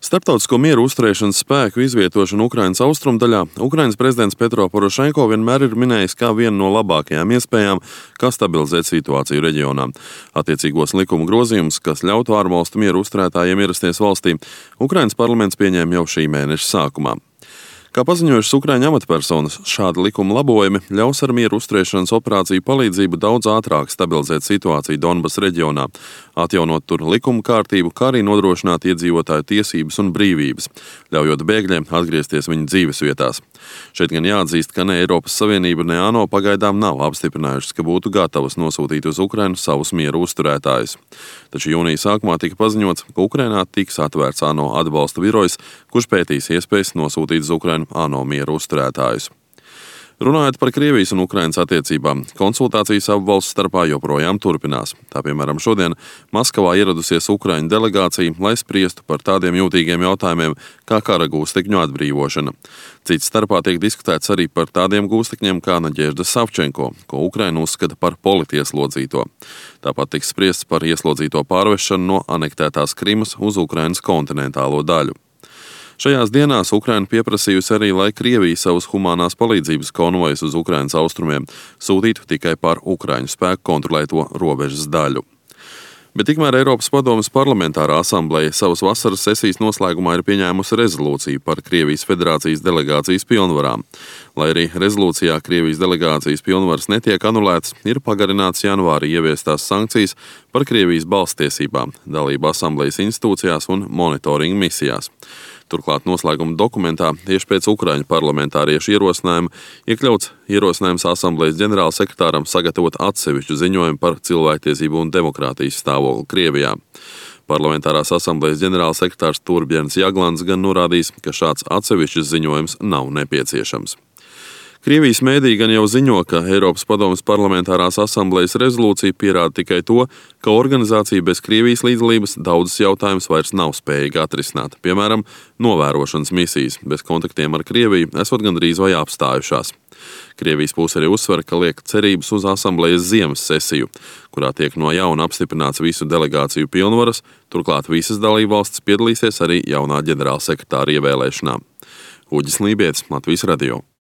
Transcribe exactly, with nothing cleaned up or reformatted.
Starptautisko mieru uzturēšanas spēku izvietošana Ukrainas austrumdaļā Ukrainas prezidents Petro Porošenko vienmēr ir minējis kā vienu no labākajām iespējām, kā stabilizēt situāciju reģionā. Attiecīgos likuma grozījumus, kas ļautu ārvalstu mieru uzturētājiem ierasties valstī, Ukrainas parlaments pieņēma jau šī mēneša sākumā. Kā paziņojušas Ukraiņu amatpersonas, šādi likuma labojumi ļaus ar mieru uzturēšanas operāciju palīdzību daudz ātrāk stabilizēt situāciju Donbas reģionā, atjaunot tur likuma kārtību, kā arī nodrošināt iedzīvotāju tiesības un brīvības, ļaujot bēgļiem atgriezties viņu dzīves vietās. Šeit gan jāatzīst, ka ne Eiropas Savienība, ne ANO pagaidām nav apstiprinājušas, ka būtu gatavas nosūtīt uz Ukrainu savus mieru uzturētājus. Taču jūnija sākumā tika paziņots, ka Ukrainā tiks atvērts ANO atbalsta birojs, kurš pētīs iespējas nosūtīt uz Ukrainu ANO mieru uzturētājus. Runājot par Krievijas un Ukrainas attiecībām, konsultācijas abu valstu starpā joprojām turpinās. Tā piemēram šodien Maskavā ieradusies Ukraiņu delegācija, lai spriestu par tādiem jūtīgiem jautājumiem kā kara gūstekņu atbrīvošana. Cits starpā tiek diskutēts arī par tādiem gūstekņiem kā Naģežda Savčenko, ko Ukraina uzskata par politieslodzīto. Tāpat tiks spriests par ieslodzīto pārvešanu no anektētās Krimas uz Ukrainas kontinentālo daļu. Šajās dienās Ukraina pieprasījusi arī, lai Krievija savus humanās palīdzības konvojus uz Ukrainas austrumiem sūtītu tikai par Ukraiņu spēku kontrolēto robežas daļu. Bet tikmēr Eiropas padomes parlamentārā asambleja savas vasaras sesijas noslēgumā ir pieņēmusi rezolūciju par Krievijas federācijas delegācijas pilnvarām. Lai arī rezolūcijā Krievijas delegācijas pilnvaras netiek anulētas, ir pagarināts janvārī ieviestās sankcijas par Krievijas balsstiesībām, dalību asamblejas institūcijās un monitoringa misijās. Turklāt noslēguma dokumentā tieši pēc Ukraiņu parlamentāriešu ierosinājuma iekļauts ierosinājums asamblejas ģenerālsekretāram sagatavot atsevišķu ziņojumu par cilvēktiesību un demokrātijas stāvokli Krievijā. Parlamentārās asamblejas ģenerālsekretārs Torbjērns Jaglants gan norādījis, ka šāds atsevišķs ziņojums nav nepieciešams. Krievijas mēdī gan jau ziņo, ka Eiropas padomes parlamentārās asamblejas rezolūcija pierāda tikai to, ka organizācija bez Krievijas līdzdalības daudzas jautājumus vairs nav spējīga atrisināt. Piemēram, novērošanas misijas bez kontaktiem ar Krieviju esot gandrīz vai apstājušās. Krievijas puse arī uzsver, ka liek cerības uz asamblejas ziemas sesiju, kurā tiek no jauna apstiprināts visu delegāciju pilnvaras, turklāt visas dalībvalstis piedalīsies arī jaunā ģenerālsekretāra ievēlēšanā. Uģis Lībietis, Latvijas radio.